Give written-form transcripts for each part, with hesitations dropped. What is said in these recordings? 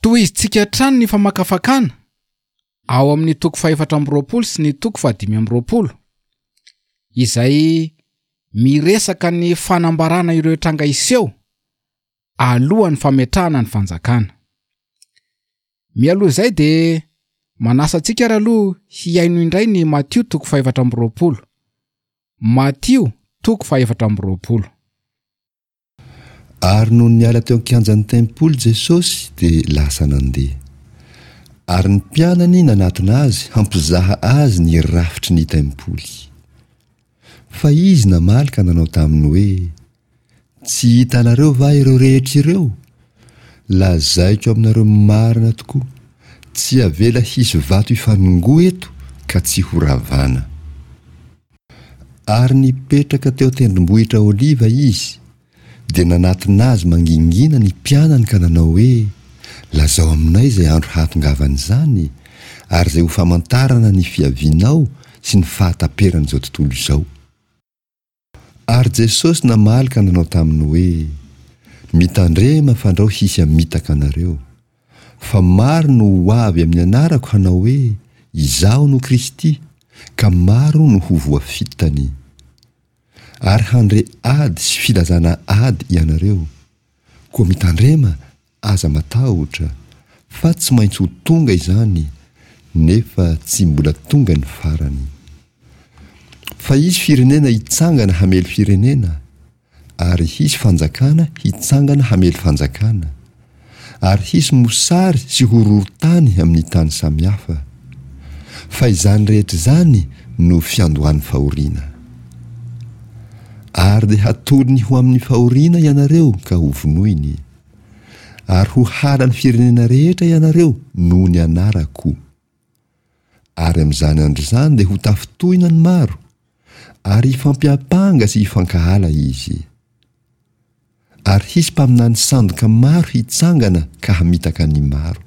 Tohizintsika hatrany ny famakafakana ao amin'ny toko faha-24 sy ny toko faha-25, izay miresaka ny fanambarana ireo tranga hiseho alohan'ny fametrahana ny fanjakana. Mialoha izay dia manasa antsika ary aloha hihaino indray ny Matio toko faha-24. Matio toko faha-24. Ary nony niala teo an-kianjan'ny tempoly Jesosy dia lasa nandeha. Ary ny mpianany nanatona Azy hampizaha Azy ny rafitry ny tempoly. Fa Izy namaly ka nanao taminy hoe, Tsy hitanareo va ireo rehetra ireo? Lazaiko aminareo marina tokoa, tsy avela hisy vato hifanongoa eto ka tsy horavana. Ary nipetraka teo an-tendrombohitra Oliva Izy, dia nanatona Azy mangingina ny mpianany ka nanao hoe, Lazao aminay izay andro hahatongavan'izany, ary izay ho famantarana ny fiavianao sy ny fahataperan'izao tontolo izao. Ary Jesosy namaly ka nanao taminy hoe, Mitandrema fandrao hisy hamitaka anareo. Fa maro no ho avy amin'ny anarako hanao hoe, Izaho no Kristy, ka maro no ho voafitany. Ary handre ady sy filazana ady ianareo. Koa mitandrema Aza matahotra, fa tsy maintsy ho tonga izany, nefa tsy mbola tonga ny farany. Fa hisy firenena hitsangana hamely firenena, ary hisy fanjakana hitsangana hamely fanjakana, ary hisy mosary sy horohorontany amin'ny tany samihafa. Fa izany rehetra izany no fiandohan'ny fahoriana. Ary dia hatolony ho amin'ny fahoriana ianareo ka hovonoiny. Ary ho halan'ny firenena rehetra ianareo noho ny anarako. Ary amin'izany andro izany dia ho tafintohina ny maro, ary hifampiampanga sy hifankahala izy. Ary hisy mpaminany sandoka maro hitsangana ka hamitaka ny maro.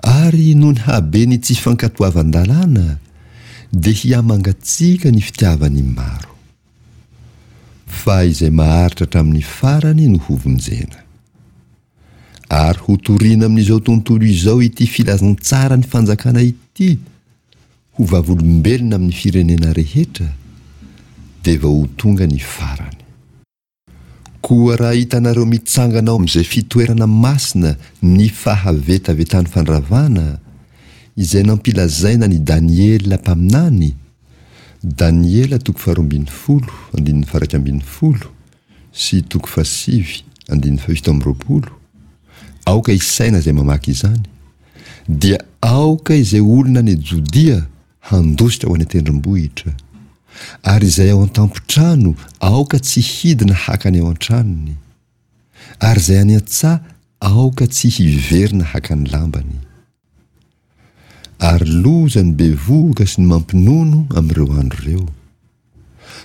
Ary noho ny haben'ny tsy fankatoavan-dalàna, dia hihamangatsiaka ny fitiavan'ny maro. Fa izay maharitra hatramin'ny farany no hovonjena. Ary hotorina amin'izao tontolo izao ity filazantsaran'ny fanjakana ity ho vavolombelona amin'ny firenena rehetra, dia vao ho tonga ny farany. Koa raha hitanareo mitsangana ao amin'izay fitoerana masina ny fahavetavetan'ny fandravana, izay nampilazaina an'i Daniela mpaminany, Daniela toko faharoambinifolo, andininy faha-iraikambinifolo sy toko fahasivy, andininy fahafito amby 20, aoka hisaina izay mamaky izany, dia aoka izay olona any Jodia handositra ho any an-tendrombohitra, ary izay ao an-tampon-trano aoka tsy hidina haka ny ao an-tranony, ary izay any an-tsaha aoka tsy hiverina haka ny lambany. Ary loza ny bevohoka sy ny mampinono amin'ireo andro ireo.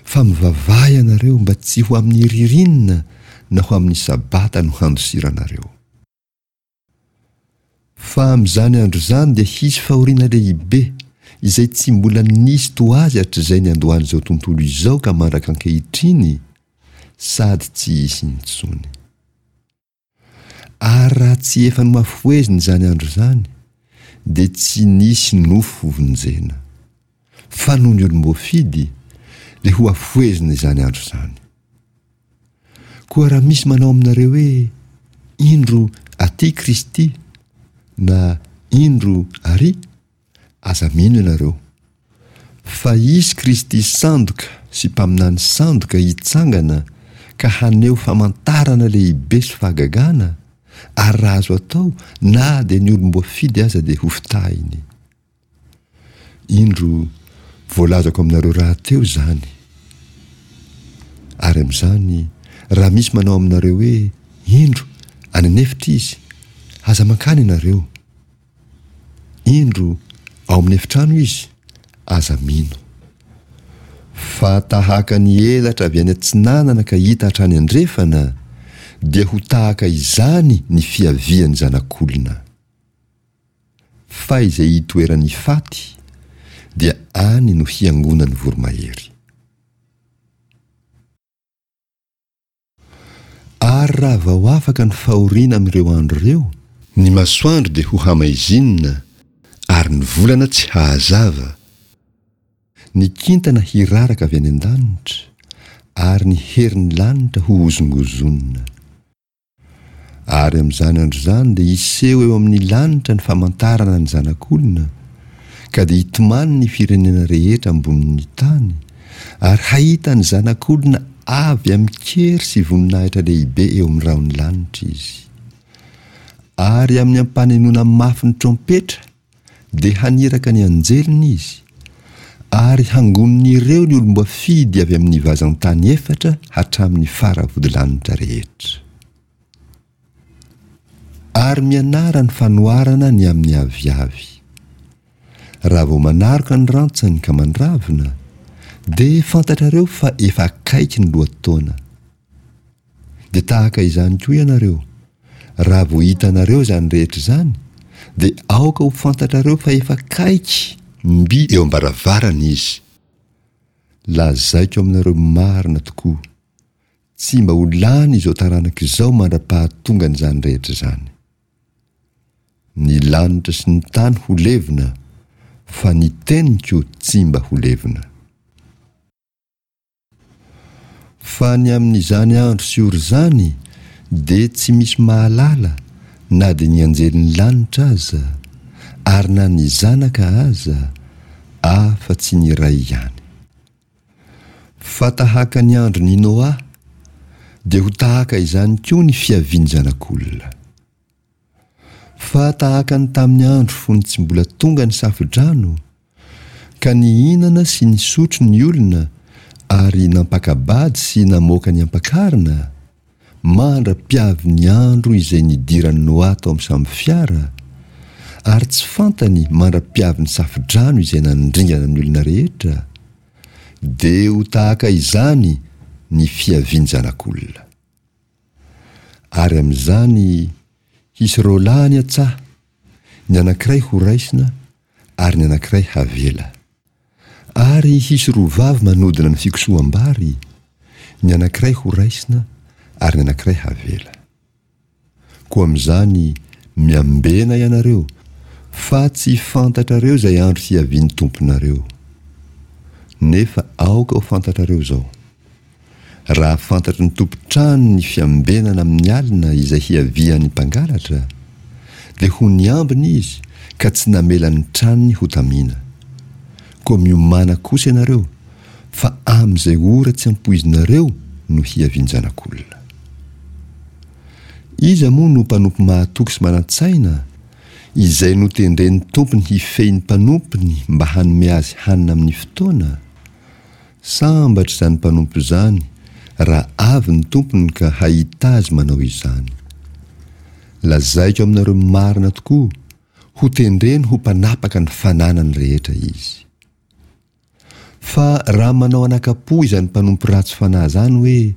Fa mivavaha ianareo mba tsy ho amin'ny ririnina na ho amin'ny sabata no handosiranareo. Fa amin'izany andro izany dia hisy fahoriana lehibe, izay tsy mbola nisy toa azy hatrizay niandohan'izao tontolo izao ka mandraka ankehitriny, sady tsy hisy intsony. Ary raha tsy efa nohafohezina izany andro izany, dia tsy nisy nofo hovonjena. Fa noho ny olom-boafidy, dia hohafohezina izany andro izany. Koa raha misy manao aminareo hoe, Indro aty Kristy, na Indro ary, aza mino ianareo. Fa hisy Kristy sandoka sy mpaminany sandoka hitsangana ka haneho famantarana lehibe sy fahagagana, ary raha azo atao, na dia ny olom-boafidy aza dia hofitahiny. Indro, voalazako aminareo rahateo izany. Ary amin'izany, raha misy manao aminareo hoe, Indro, any an'efitra izy, aza mankany ianareo. Indro, ao amin'ny efitrano izy, aza mino. Fa tahaka ny elatra avy any atsinanana ka hita hatrany andrefana, dia ho tahaka izany ny fiavian'ny Zanak'olona. Fa izay itoeran'ny faty, dia any no hiangonan'ny voromahery. Ary raha vao afaka ny fahoriana amin'ireo andro ireo. Ny masoandro dia ho hamaizinina, ary ny volana tsy hahazava. Ny kintana hiraraka avy any an-danitra, ary ny herin'ny lanitra hohozongozonina. Ary amin'izany andro izany dia hiseho eo amin'ny lanitra ny famantarana ny Zanak'olona, ka dia hitomany ny firenena rehetra ambonin'ny tany, ary hahita ny Zanak'olona avy amin-kery sy voninahitra lehibe eo amin'ny rahon'ny lanitra izy. Ary amin'ny ampanenoana mafy ny trompetra dia haniraka ny anjeliny izy, ary hangonin'ireo ny olom-boafidy avy amin'ny vazan-tany efatra hatramin'ny faravodilanitra rehetra. Ary mianara ny fanoharana ny amin'ny aviavy. Raha vao manaroka ny rantsany ka mandravina, dia fantatrareo fa efa akaiky ny lohataona. Dia tahaka izany koa ianareo, raha vao hitanareo izany rehetra izany, dia aoka ho fantatrareo fa efa akaiky mby eo am-baravarana izy. Lazaiko aminareo marina tokoa, tsy mba ho lany izao taranaka izao mandra-pahatongan'izany rehetra izany. Ny lanitra sy ny tany ho levona, fa ny teniko tsy mba ho levona. Fa ny amin'izany andro sy ora izany dia tsy misy mahalala na dia ny anjelin'ny lanitra aza, ary na ny Zanaka aza, afa-tsy ny Ray ihany. Fa tahaka ny andron'i Noa, dia ho tahaka izany koa ny fiavian'ny Zanak'olona. Fa tahaka ny tamin'ny andro fony tsy mbola tonga ny safo-drano, ka nihinana sy nisotro ny olona ary nampaka-bady sy namoaka ny ampakarina, mandra-piavy ny andro izay nidiran'i Noa tao amin'ny sambo-fiara, ary tsy fantany mandra-piavy ny safo-drano izay nandringana ny olona rehetra, dia ho tahaka izany ny fiavian'ny Zanak'olona. Ary amin'izany hisy roalahy any an-tsaha, ny anankiray horaisina ary ny anankiray havela. Ary hisy roa vavy manodina ny fikosoham-bary, ny anankiray horaisina ary ny anankiray havela. Koa amin'izany miambena ianareo, fa tsy fantatrareo izay andro hiavian'ny Tomponareo. Nefa aoka ho fantatrareo izao, Raha fantatry ny tompon-trano ny fiambenana amin'ny alina izay hiavian'ny mpangalatra, dia ho niambina izy ka tsy namela ny tranony hotamina. Koa miomàna kosa ianareo, fa amin'izay ora tsy ampoizinareo no hiavian-janak'olona. Iza moa no mpanompo mahatoky sy manan-tsaina, izay notendren'ny tompony hifehy ny mpanompony mba hanome azy hanina amin'ny fotoana? Sambatra izany mpanompo izany raha avy ny tompony ka hahita azy manao izany. Lazaiko aminareo marina tokoa, hotendreny ho mpanapaka ny fananany rehetra izy. Fa raha manao anaka-po izany mpanompo ratsy fanahy izany hoe,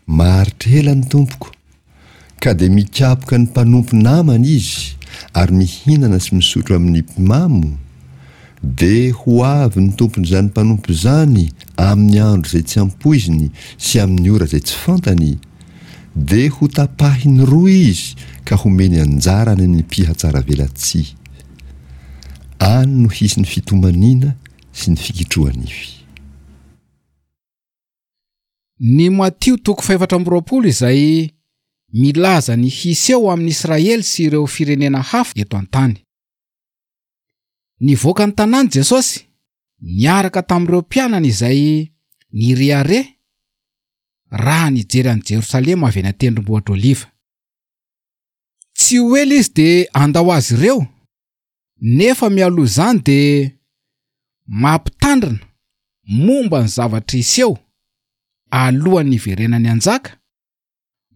Maharitra ela ny tompoko, ka dia mikapoka ny mpanompo namany izy ary mihinana sy misotro amin'ny mpimamo, dia ho avy ny tompon'izany mpanompo izany amin'ny andro izay tsy ampoiziny sy amin'ny ora izay tsy fantany, dia ho tapahiny roa izy ka homeny anjara any amin'ny mpihatsaravelatsihy. Any no hisy ny fitomaniana sy ny fikitroha-nify. Ny Matio toko fahefatra amby 20 izay milaza ny hiseho amin'i Israely sy ireo firenena hafa eto an-tany. Nivoaka ny tanàna Jesosy niaraka tamin'ireo mpianany izay nirehareha raha nijery an'i Jerosalema avy any an-tendrombohitra Oliva. Tsy ho ela izy dia handao azy ireo Nefa mialoha izany dia mampitandrina momba ny zavatra hiseho alohan'ny hiverenany hanjaka,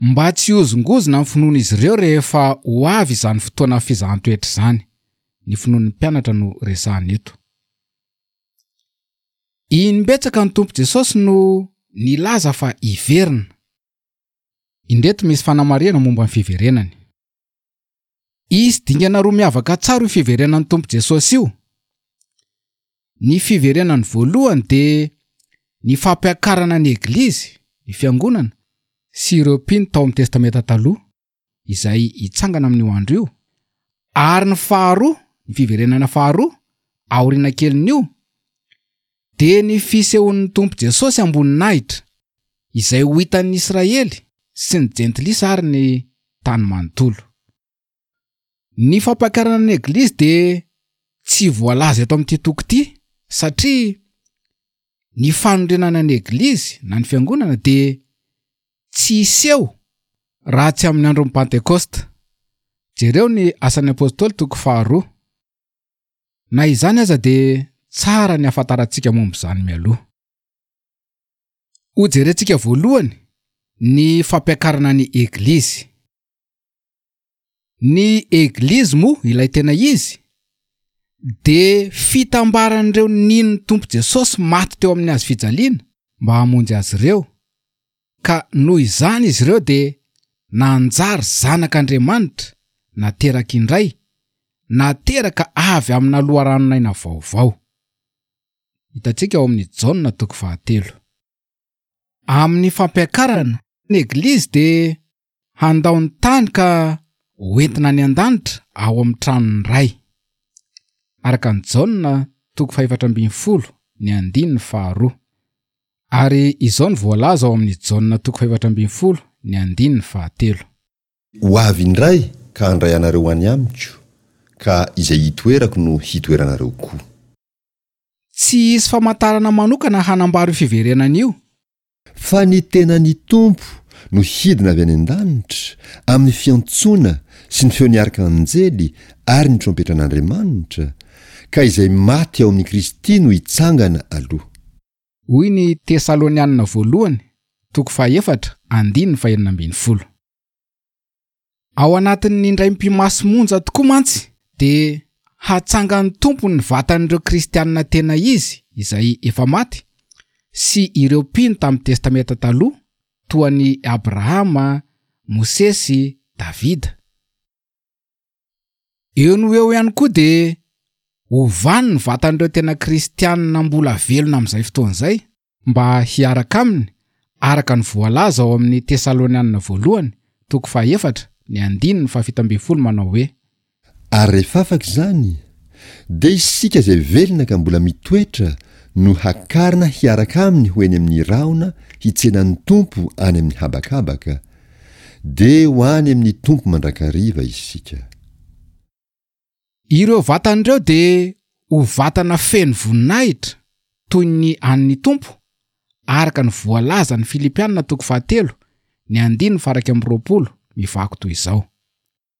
mba tsy hihozongozona ny finoan'izy ireo rehefa ho avy izany fotoana fizahan-toetra izany. Ny finoan'ny mpianatra no resahana eto. Imbetsaka ny Tompo Jesosy no nilaza fa hiverina. Indreto misy fanamarihana momba ny fiverenany. Hisy dingana roa miavaka tsara io fiverenan'ny Tompo Jesosy io. Ny fiverenany voalohany dia ny fampiakarana ny Eglizy, ny Fiangonana, sy ireo mpino tao amin'ny Testamenta Taloha, izay hitsangana amin'io andro io. Ary ny faharoa, ny fiverenana faharoa, aoriana kelin'io, dia ny fisehoan'ny Tompo Jesosy am-boninahitra, izay ho hitan'ny Israely sy ny Jentilisa ary ny tany manontolo. Ny fampakarana ny Eglizy dia tsy voalaza eto amin'ity toko ity, satria ny fanorenana ny Eglizy na ny Fiangonana dia tsy hiseho raha tsy amin'ny andron'ny Pantekosta. Jereo ny Asan'ny Apostoly toko faharoa. Na izany aza dia tsara ny hahafantarantsika momba izany mialoha. Hojerentsika voalohany ny fampiakarana ny Eglizy. Ny Eglizy moa ilay tena izy dia fitambaran'ireo nino ny Tompo Jesosy maty teo amin'ny hazo fijaliana mba hamonjy azy ireo, ka noho izany izy ireo dia nanjary zanak'Andriamanitra nateraka indray, nateraka avy amina loharanon'aina vaovao. Hitantsika ao amin'ny Jaona toko fahatelo. Amin'ny fampiakarana ny Eglizy dia Handao ny tany ka hoentina any an-danitra ao amin'ny tranon'ny Ray. Araka an'i Jaona toko fahefatra ambinifolo ny andininy faharoa. Ary izao no voalaza ao amin'ny Jaona toko fahefatra ambinifolo ny andininy fahatelo. Ho avy indray ka handray anareo ho any amiko, ka izay hitoerako no hitoeranareo koa. Tsy hisy famantarana manokana hanambara io fiverenana io. Fa ny tenan'ny Tompo no hidina avy any an-danitra, amin'ny fiantsoana sy ny feon'ny arkanjely ary ny trompetran'Andriamanitra, ka izay maty ao amin'i Kristy no hitsangana aloha. Hoy ny Tesalonianina Voalohany, toko fahaefatra, andininy fahenina ambinifolo. Ao anatin'ny indray mipi-maso monja tokoa mantsy dia hatsangan'ny Tompo ny vatan'ireo kristianina tena izy izay efa maty sy ireo mpino tamin'ny Testamenta Taloha toa an'i Abrahama, Mosesy, Davida. Eo no eo ihany koa dia hovany ny vatan'ireo tena kristianina mbola velona amin'izay fotoana izay. mba hiaraka aminy, araka ny voalaza ao amin'ny Tesalonianina Voalohany, toko fahaefatra, ny andininy fahafito ambinifolo manao hoe. Ary rehefa afaka izany, dia isika izay velona ka mbola mitoetra no hakarina hiaraka aminy ho eny amin'ny rahona hitsena ny Tompo any amin'ny habakabaka, dia ho any amin'ny Tompo mandrakariva isika. Ireo vatana ireo dia ho vatana feno voninahitra toy ny an'ny Tompo, araka ny voalazan'ny Filipiana toko fahatelo, ny andininy faha 21, mivaky toy izao.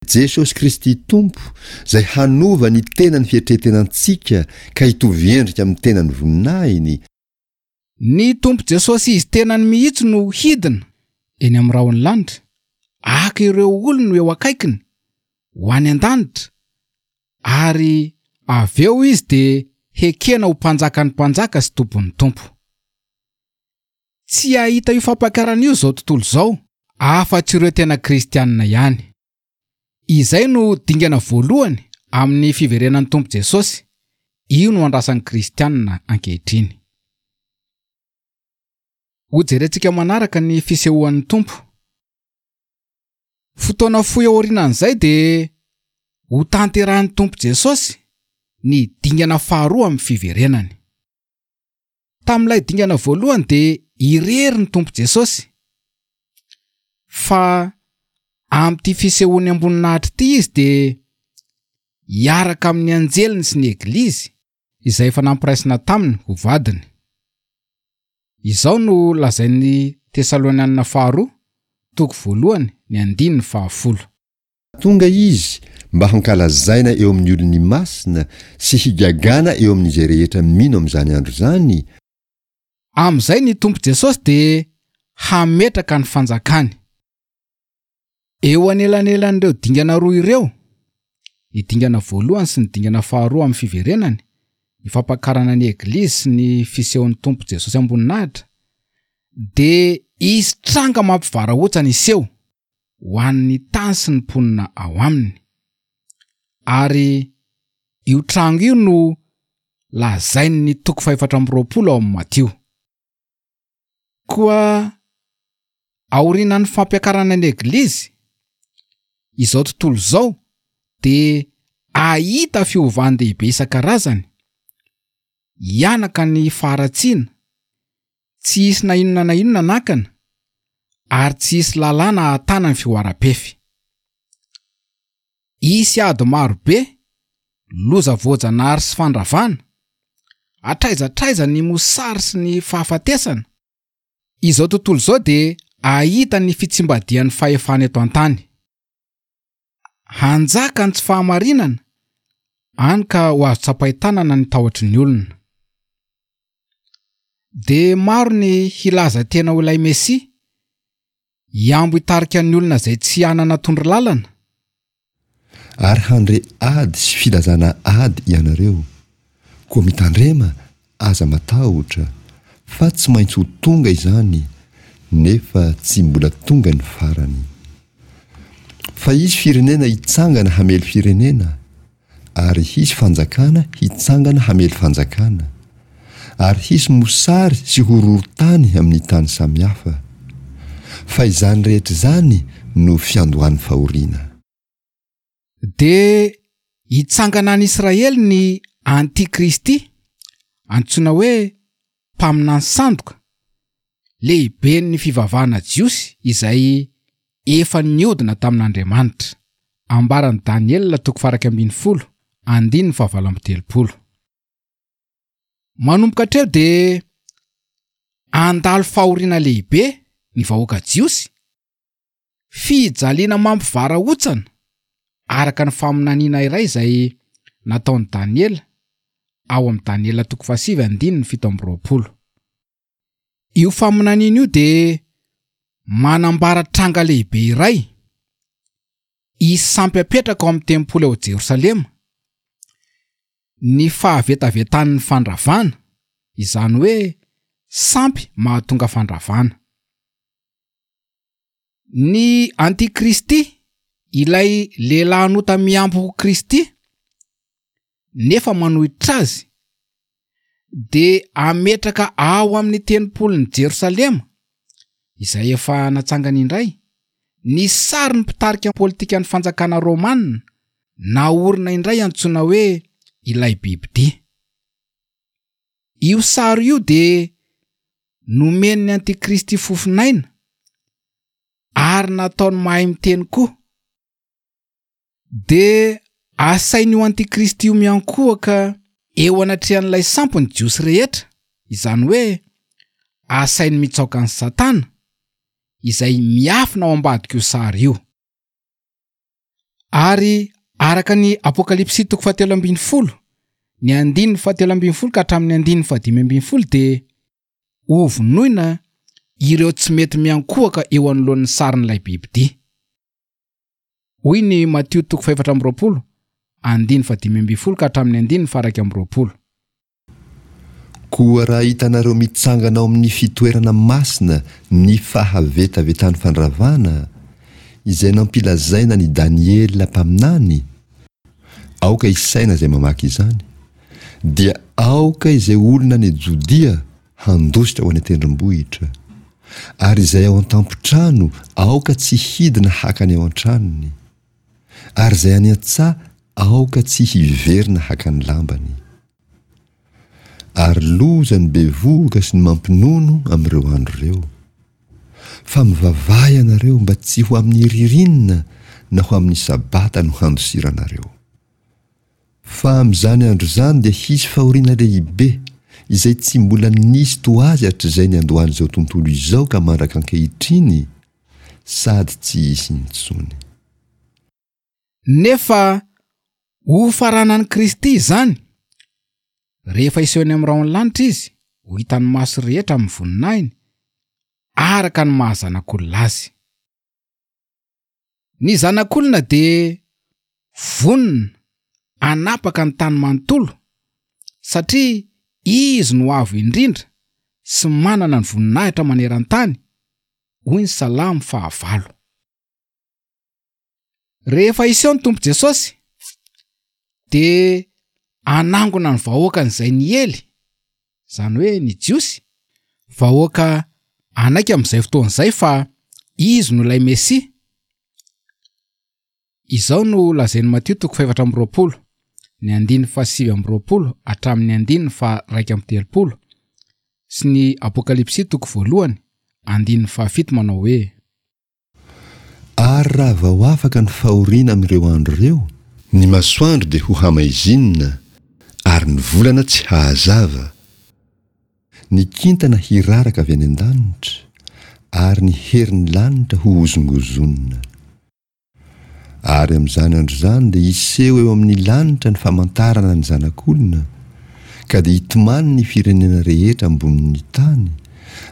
Jesosy Kristy Tompo, izay hanova ny tenan'ny fietretenantsika ka hitovy endrika amin'ny tenan'ny voninahiny, Ny Tompo Jesosy Izy tenany mihitsy no hidina eny amin'ny rahon'ny lanitra, haka ireo olony ho eo akaikiny, ho any an-danitra, ary avy eo Izy dia hekena ho Mpanjakan'ny mpanjaka sy Tompon'ny tompo. Tsy hahita io fampakarana io izao tontolo izao, afa-tsy ireo tena kristianina ihany. Izay no dingana voalohany amin'ny fiverenan'ny Tompo Jesosy, io no andrasan'ny kristianina ankehitriny. Hojerentsika manaraka ny fisehoan'ny Tompo. Fotoana fohy aorianan'izay dia hotanterahin'ny Tompo Jesosy ny dingana faharoa amin'ny fiverenany. Tamin'ilay dingana voalohany dia irery ny Tompo Jesosy. Fa amin'ity fisehoany am-boninahitra ity izy dia hiaraka amin'ny anjeliny sy ny Eglizy izay efa nampiraisina taminy ho vadiny. Izao no lazain'ny Tesalonianina faharoa, toko voalohany, ny andininy fahafolo. Tonga Izy mba hankalazaina eo amin'ny olony masina sy higagana eo amin'izay rehetra mino amin'izany andro izany, Amin'izay ny Tompo Jesosy dia hametraka ny fanjakany. Eo anelanelan'ireo dingana roa ireo, ny dingana voalohany sy ny dingana faharoa amin'ny fiverenany, ny fampakarana ny Eglizy sy ny fisehon'ny Tompo Jesosy am-boninahitra, dia hisy tranga mampivarahontsana hiseho ho an'ny tany sy ny mponina ao aminy. Ary io tranga io no lazain'ny toko fahefatra amby 24 ao amin'ny Matio. Koa aorianan'ny fampiakarana ny Eglizy, izao tontolo izao dia Hahita fiovan-dehibe isan-karazany, hianaka ny faharatsiana, tsy hisy na inona na inona nakana, ary tsy hisy lalàna hahatana ny fihoaram-pefy. Hisy ady maro be, loza voajanahary sy fandravana, hatraiza hatraiza ny mosary sy ny fahafatesana. Izao tontolo izao dia hahita ny fitsimbadihan'ny fahefana eto an-tany. Hanjaka ny tsy fahamarinana, hany ka ho azo tsapain-tanana ny tahotry ny olona. Dia maro ny hilaza tena ho ilay Mesia, hihambo hitarika ny olona izay tsy hanana tondro lalana. Ary handre ady sy filazana ady ianareo, koa mitandrema Aza matahotra, fa tsy maintsy ho tonga izany, nefa tsy mbola tonga ny farany. Fa hisy firenena hitsangana hamely firenena, ary hisy fanjakana hitsangana hamely fanjakana, ary hisy mosary sy horohorontany amin'ny tany samihafa. Fa izany rehetra izany no fiandohan'ny fahoriana. Dia hitsangana any Israely ny Antikristy, antsoina hoe mpaminany sandoka, lehiben'ny fivavahana jiosy izay efa niodina tamin'Andriamanitra. Ambaran'i Daniela toko faha-11, andininy faha-38. Manomboka hatreo dia handalo fahoriana lehibe ny vahoaka jiosy, Fijaliana mampivarahontsana, araka ny faminaniana iray izay nataon'i Daniela ao amin'ny Daniela toko fahasivy andininy 27. Io faminaniana io dia manambara tranga lehibe iray, hisy sampy hapetraka ao amin'ny tempoly ao Jerosalema, ny fahavetavetan'ny fandravana, izany hoe sampy mahatonga fandravana. Ny antikristy, ilay lehilahin'ota mihambo ho Kristy nefa manohitra azy, dia hametraka ao amin'ny tempolin'i Jerosalema, izay efa natsangany indray, ny sarin'ny mpitarika politikan'ny fanjakana romana naorina indray antsoina hoe ilay bibidia. Io sary io dia Nomen'ny Antikristy fofon'aina ary nataony mahay miteny koa. Dia asain'io Antikristy io miankohoka eo anatrehan'ilay sampy ny Jiosy rehetra, izany hoe asainy mitsaoka an'i Satana, izay miafina ao ambadik'io sary io. Ary araka ny Apokalypsy toko fahatelo ambin'ny folo, ny andininy fahatelo ambin'ny folo ka hatramin'ny andininy fahadimy ambin'ny folo dia hovonoina ireo tsy mety miankohoka eo anoloan'ny sarin'ilay bibidia. Hoy ny Matio toko fahefatra amby roapolo, andininy fahadimy ambin'ny folo ka hatramin'ny andininy faha-21. Koa raha hitanareo mitsangana ao amin'ny fitoerana masina ny fahavetavetan'ny fandravana, izay nampilazaina an'i Daniela mpaminany, aoka hisaina izay mamaky izany, dia aoka izay olona any Jodia handositra ho any an-tendrombohitra, ary izay ao an-tampon-trano aoka tsy hidina haka ny ao an-tranony, ary izay any an-tsaha aoka tsy hiverina haka ny lambany. Ary loza ny bevohoka sy ny mampinono amin'ireo andro ireo. Fa mivavaha ianareo mba tsy ho amin'ny ririnina na ho amin'ny sabata no handosiranareo. Fa amin'izany andro izany dia hisy fahoriana lehibe, izay tsy mbola nisy toa azy hatrizay niandohan'izao tontolo izao ka mandraka ankehitriny, sady tsy hisy intsony. Nefa hofaranan'i Kristy izany, rehefa hiseho eny amin'ny rahon'ny lanitra Izy, ho hitan'ny maso rehetra amin'ny voninahiny, araka ny maha Zanak'olona Azy. Ny Zanak'olona dia vonona hanapaka ny tany manontolo, satria Izy no Avo Indrindra sy manana ny voninahitra maneran-tany, hoy ny Salamo fahavalo. Rehefa hiseho ny Tompo Jesosy dia hanangona ny vahoakany izay niely, izany hoe ny Jiosy, vahoaka hanaiky amin'izay fotoana izay fa Izy no ilay Mesia. Izao no lazain'i Matio toko fahefatra amby 20, ny andininy fahasivy amby 20 hatramin'ny andininy faha-31, sy ny Apokalypsy toko voalohany, andininy fahafito manao hoe. Ary raha vao afaka ny fahoriana amin'ireo andro ireo, ny masoandro dia ho hamaizinina, ary ny volana tsy hahazava, ny kintana hiraraka avy any an-danitra, ary ny herin'ny lanitra hohozongozonina. Ary amin'izany andro izany dia hiseho eo amin'ny lanitra ny famantarana ny Zanak'olona, ka dia hitomany ny firenena rehetra ambonin'ny tany,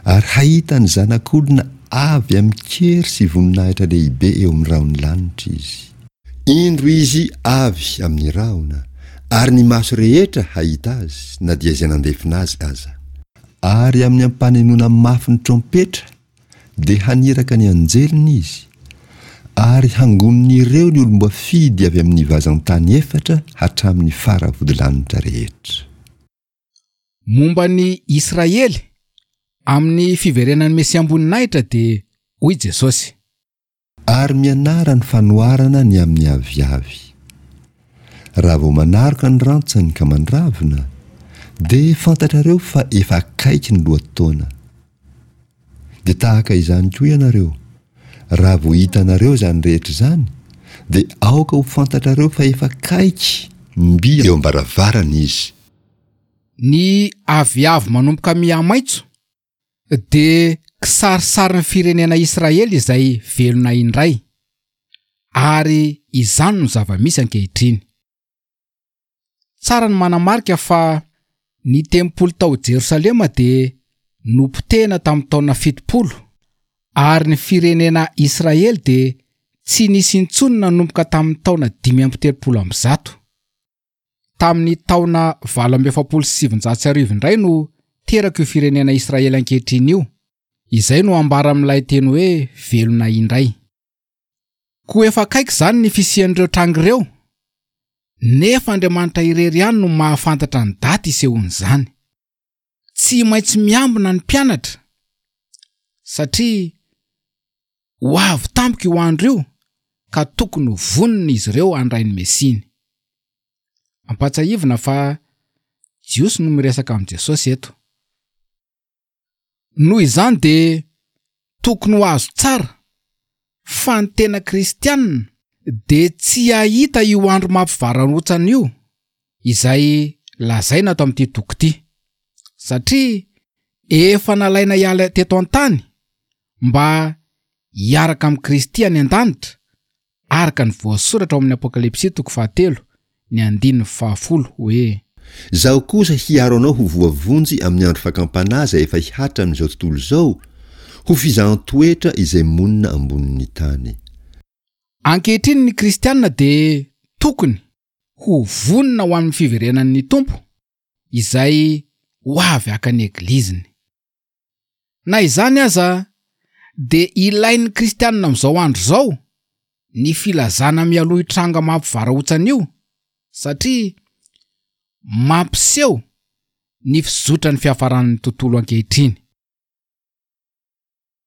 ary hahita ny Zanak'olona avy amin-kery sy voninahitra lehibe eo amin'ny rahon'ny lanitra izy. Indro izy avy amin'ny rahona, ary ny maso rehetra hahita azy, na dia izay nandefona azy aza. Ary amin'ny ampanenoana mafy ny trompetra Dia haniraka ny anjeliny izy, ary hangonin'ireo ny olom-boafidy avy amin'ny vazan-tany efatra hatramin'ny faravodilanitra rehetra. Momba ny Israely, amin'ny fiverenan'ny Mesiam-boninahitra dia hoy Jesosy. Ary mianara ny fanoharana ny amin'ny aviavy. Raha vao manaroka ny rantsany ka mandravona, dia fantatrareo fa efa akaiky ny lohataona. Dia tahaka izany koa ianareo, raha vao hitanareo izany rehetra izany, dia aoka ho fantatrareo fa efa akaiky, mby eo am-baravarana izy. Ny aviavy manomboka mihamaitso dia kisarisarin'ny firenena Israely izay velona indray, ary izany no zava-misy ankehitriny. Tsara ny manamarika fa ny tempoly tao Jerosalema dia nopotehina tamin'ny taona 70, ary ny firenena Israely dia tsy nisy intsony nanomboka tamin'ny taona 135. Tamin'ny taona 1948 indray no teraka io firenena Israely ankehitriny io, izay no ambara amin'ilay teny hoe velona indray. Koa efa akaiky izany ny fisian'ireo tranga ireo, nefa Andriamanitra irery ihany no mahafantatra ny daty isehoan'izany. Tsy maintsy miambina ny mpianatra, satria ho avy tampoka io andro io ka tokony ho vonona izy ireo handray ny Mesiany. Ampahatsiahivina fa Jiosy no miresaka amin'i Jesosy eto. Noho izany dia tokony ho azo tsara fa ny tena kristianina dia tsy hahita io andro mampivarahontsana io izay lazaina ato amin'ity toko ity, satria efa nalaina hiala teto an-tany mba hiaraka amin'i Kristy any an-danitra araka ny voasoratra ao amin'ny Apokalypsy toko fahatelo, ny andininy fahafolo hoe. Izaho kosa hiaro anao ho voavonjy amin'ny andro fakam-panahy izay efa hihatra amin'izao tontolo izao, ho fizahan-toetra izay monina ambonin'ny tany. Ankehitriny ny kristiana dia tokony ho vonona ho amin'ny fiverenan'ny Tompo izay ho avy haka ny Egliziny. Na izany aza, dia ilain'ny Kristianina amin'izao andro izao ny filazana mialoha io tranga mampivarahontsana io, satria mampiseho ny fizotran'ny fiafaran'ny tontolo ankehitriny.